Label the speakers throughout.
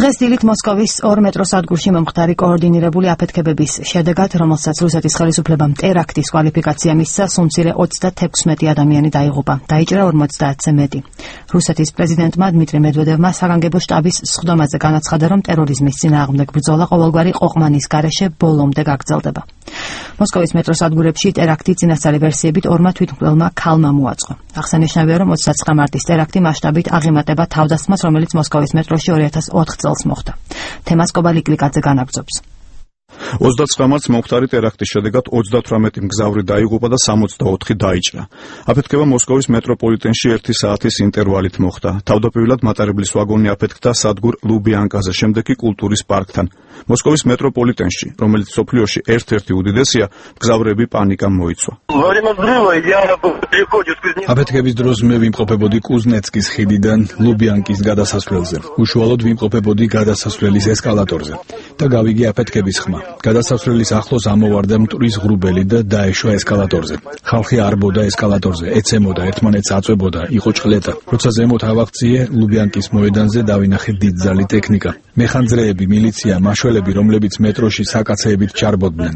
Speaker 1: დღეს დილით მოსკოვის 2 მეტრო სადგურში მომხდარი კოორდინირებული აფეთქებების შედეგად, რომელსაც რუსეთის ხელისუფლებამ ტერაქტის კვალიფიკაცია მისცა, სულ 36 ადამიანი დაიღუპა, დაიჭრა 50-ზე მეტი. რუსეთის პრეზიდენტმა დმიტრი მედვედევმა საგანგებო შტაბის სხდომაზე განაცხადა, რომ ტერორიზმის წინააღმდეგ ბრძოლა ყოველგვარი ყოყმანის გარეშე ბოლომდე გაგრძელდება. მოსკოვის მეტრო სადგურებში ტერაქტი წინასწარი ვერსიებით 2 თვითმკვლელმა ქალმა მოაწყო. აღსანიშნავია, რომ 29 მარტის ტერაქტი მასშტაბით აღემატება თავდასხმას, რომელიც მოსკოვის მეტროში 2004 წელს მოხდა. თემას კობალიკ ლიკაძე განაგრძობს.
Speaker 2: 29 მარტს მომხდარი ტერაქტის შედეგად 38 მგზავრი დაიღუპა და 64 დაიჭრა. აფეთქება მოსკოვის მეტროპოლიტენში 1 საათის ინტერვალით მოხდა. თავდაპირველად მატარებლის ვაგონი აფეთქდა სადგურ ლუბიანკაზე, შემდეგ კი კულტურის პარკთან. მოსკოვის მეტროპოლიტენში, რომელიც სოფლიოში ერთ-ერთი უდიდესია, მგზავრები პანიკამ მოიცვა.
Speaker 3: აფეთქების დროს მე ვიმყოფებოდი კუზნეცკის ხიდიდან ლუბიანკის გადასასვლელზე. უშუალოდ ვიმყოფებოდი გადასასვლელის ესკალატორზე და გავიგე აფეთქების ხმა. გადასასვლელის ახლოს ამოვარდა მტვრის ღრუბელი და დაეშვა ესკალატორზე. ხალხი არბოდა ესკალატორზე, ეცემოდა, ერთმანეთს აწვებოდა, იყო ჭყლეტა. როცა ზემოთ ავაღწიე, ლუბიანკის მოედანზე დავინახე დიდძალი ტექნიკა. მეხანძრეები, მილიცია, მაშველები, რომლებიც მეტროში საკაცეებით ჩარბოდნენ.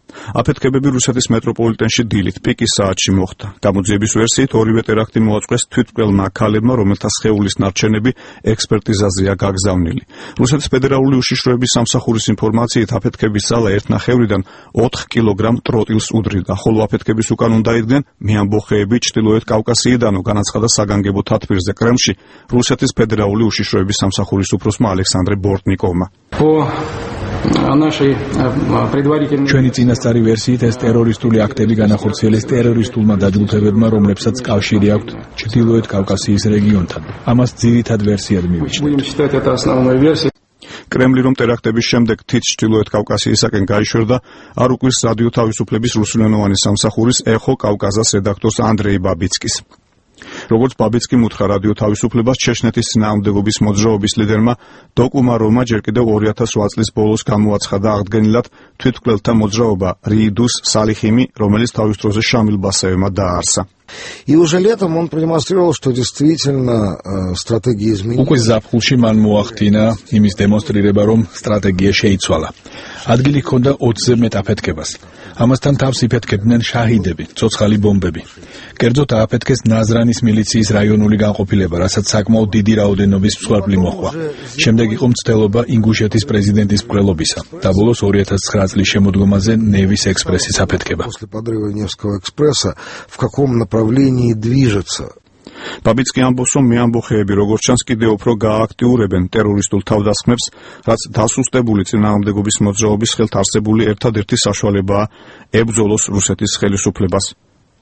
Speaker 2: აფეთქებები რუსეთის მეტროპოლიტენში დილით პიკის საათში მოხდა. გამოძიების ვერსიით ორივე ტერაქტი მოაწყვეს თვითმკვლელმა ქალებმა, რომელთა სხეულის ნარჩენები ექსპერტიზაზეა გაგზავნილი. რუსეთის ფედერალური უშიშროების სამსახურის ინფორმაციით აფეთქების ძალა 1.5-დან 4 კილოგრამ ტროტილს უდრიდა, ხოლო აფეთქების უკან უნდა იდგნენ მეამბოხეები ჩრდილოეთ კავკასიიდანო, განაცხადა საგანგებო თათბირზე კრემლში რუსეთის ფედერალური უშიშროების სამსახურის უფროსმა ალექსანდრე ბორტნიკოვმა.
Speaker 3: ჩვენი წინასწარი ვერსიით ეს ტერორისტული აქტები განახორციელეს ტერორისტულმა დაჯგუფებებმა, რომლებსაც კავშირი აქვთ ჩრდილოეთ კავკასიის რეგიონთან. ამას ძირითად ვერსიად მივიჩნევთ.
Speaker 2: კრემლი რომ ტერაქტების შემდეგ თით ჩრდილოეთ კავკასიისაკენ გაიშვერდა, არ უკვირს რადიო თავისუფლების რუსულენოვანი სამსახურის ეხო კავკაზას რედაქტორს ანდრეი ბაბიცკის. როგორც ბაბიცკიმ უთხრა რადიო თავისუფლებას, ჩეჩნეთის წინააღმდეგობის მოძრაობის ლიდერმა დოკუმაროვმა ჯერ კიდევ 2008 წლის ბოლოს გამოაცხადა აღდგენილად თვითმკვლელთა მოძრაობა რიიდუს სალიხიმი, რომელიც თავის დროზე შამილ ბასაევმა დააარსა.
Speaker 4: И уже летом он продемонстрировал, что действительно стратегия изменилась.
Speaker 3: უკვე ზაფხულში მან მოახდინა იმის დემონსტრირება, რომ სტრატეგია შეიცვალა. ადგილი ჰქონდა 20-ზე მეტ აფეთქებას. ამასთან თავს იფეთქებდნენ შაჰიდები, ცოცხალი ბომბები. კერძოდ ააფეთქეს ნაზრანის მილიციის რაიონული განყოფილება, რასაც საკმაოდ დიდი რაოდენობის მსხვერპლი მოჰყვა. შემდეგ იყო მცდელობა ინგუშეთის პრეზიდენტის მკვლელობისა და ბოლოს 2009 წლის შემოდგომაზე ნევის ექსპრესის აფეთქება.
Speaker 4: После подрыва Невского экспресса в каком направлении движется?
Speaker 2: ბაბიცკი ამბობს, რომ მეამბოხეები როგორც ჩანს კიდევ უფრო გააქტიურებენ ტერორისტულ თავდასხმებს, რაც დასუსტებული წინააღმდეგობის მოძრაობის ხელთ არსებული ერთადერთი საშუალებაა ებრძოლოს რუსეთის ხელისუფლებას,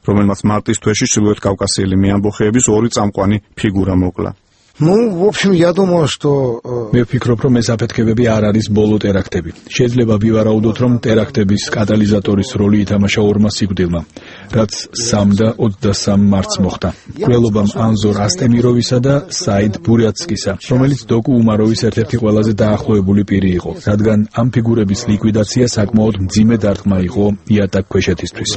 Speaker 2: რომელმაც მარტის თვეში ჩრდილოეთ კავკასიელი მეამბოხეების 2 წამყვანი ფიგურა მოკლა.
Speaker 4: Ну, в общем, я думаю, что
Speaker 3: მე ვფიქრობ, რომ ეს აფეთქებები არ არის ბოლო ტერაქტები. შეიძლება ვივარაუდოთ, რომ ტერაქტების კატალიზატორის როლი ითამაშა 2 სიკვდილმა, რაც 3 და 23 მარტს მოხდა. მკვლელობამ ანზორ ასტემიროვისა და საიდ ბურიაცკისა, რომელიც დოკუ უმაროვის ერთ-ერთი ყველაზე დაახლოებული პირი იყო, რადგან ამ ფიგურების ლიკვიდაცია საკმაოდ მძიმე დარტყმა იყო იატაკ ქვეშეთისთვის.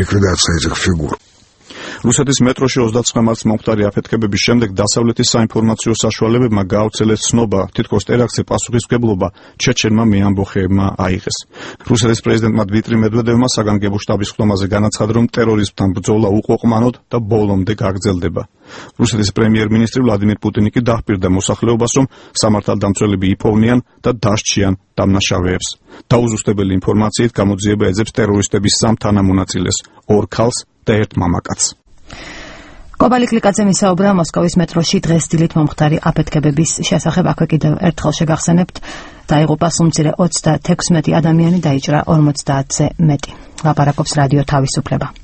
Speaker 4: ликвидация этих фигур.
Speaker 2: რუსეთის მეტროში 29 მარტს მომხდარი აფეთქებების შემდეგ დასავლეთის საინფორმაციო საშუალებებმა გაავრცელეს ცნობა, თითქოს ტერაქტზე პასუხისმგებლობა ჩეჩენმა მეამბოხეებმა აიღეს. რუსეთის პრეზიდენტმა დმიტრი მედვედევმა საგანგებო შტაბის სხდომაზე განაცხადა, რომ ტერორიზმთან ბრძოლა უყოყმანოდ და ბოლომდე გაგრძელდება. რუსეთის პრემიერ-მინისტრი ვლადიმირ პუტინი კი დაჰპირდა მოსახლეობას, რომ სამართალდამცველები იპოვნიან და დასჯიან დამნაშავეებს. დაუზუსტებელი ინფორმაციით გამოძიება ეძებს ტერორისტების 3 თანამონაწილეს, 2 ქალს და 1 მამაკაცს.
Speaker 1: კობალიკ ლიკაძე მისაუბრა მოსკოვის მეტროში დღეს დილით მომხდარი აფეთქებების შესახებ. აქვე კიდევ ერთხელ შეგახსენებთ, დაიღუპა სულ 36 ადამიანი, დაიჭრა 50-ზე მეტი. ლაპარაკობს რადიო თავისუფლება.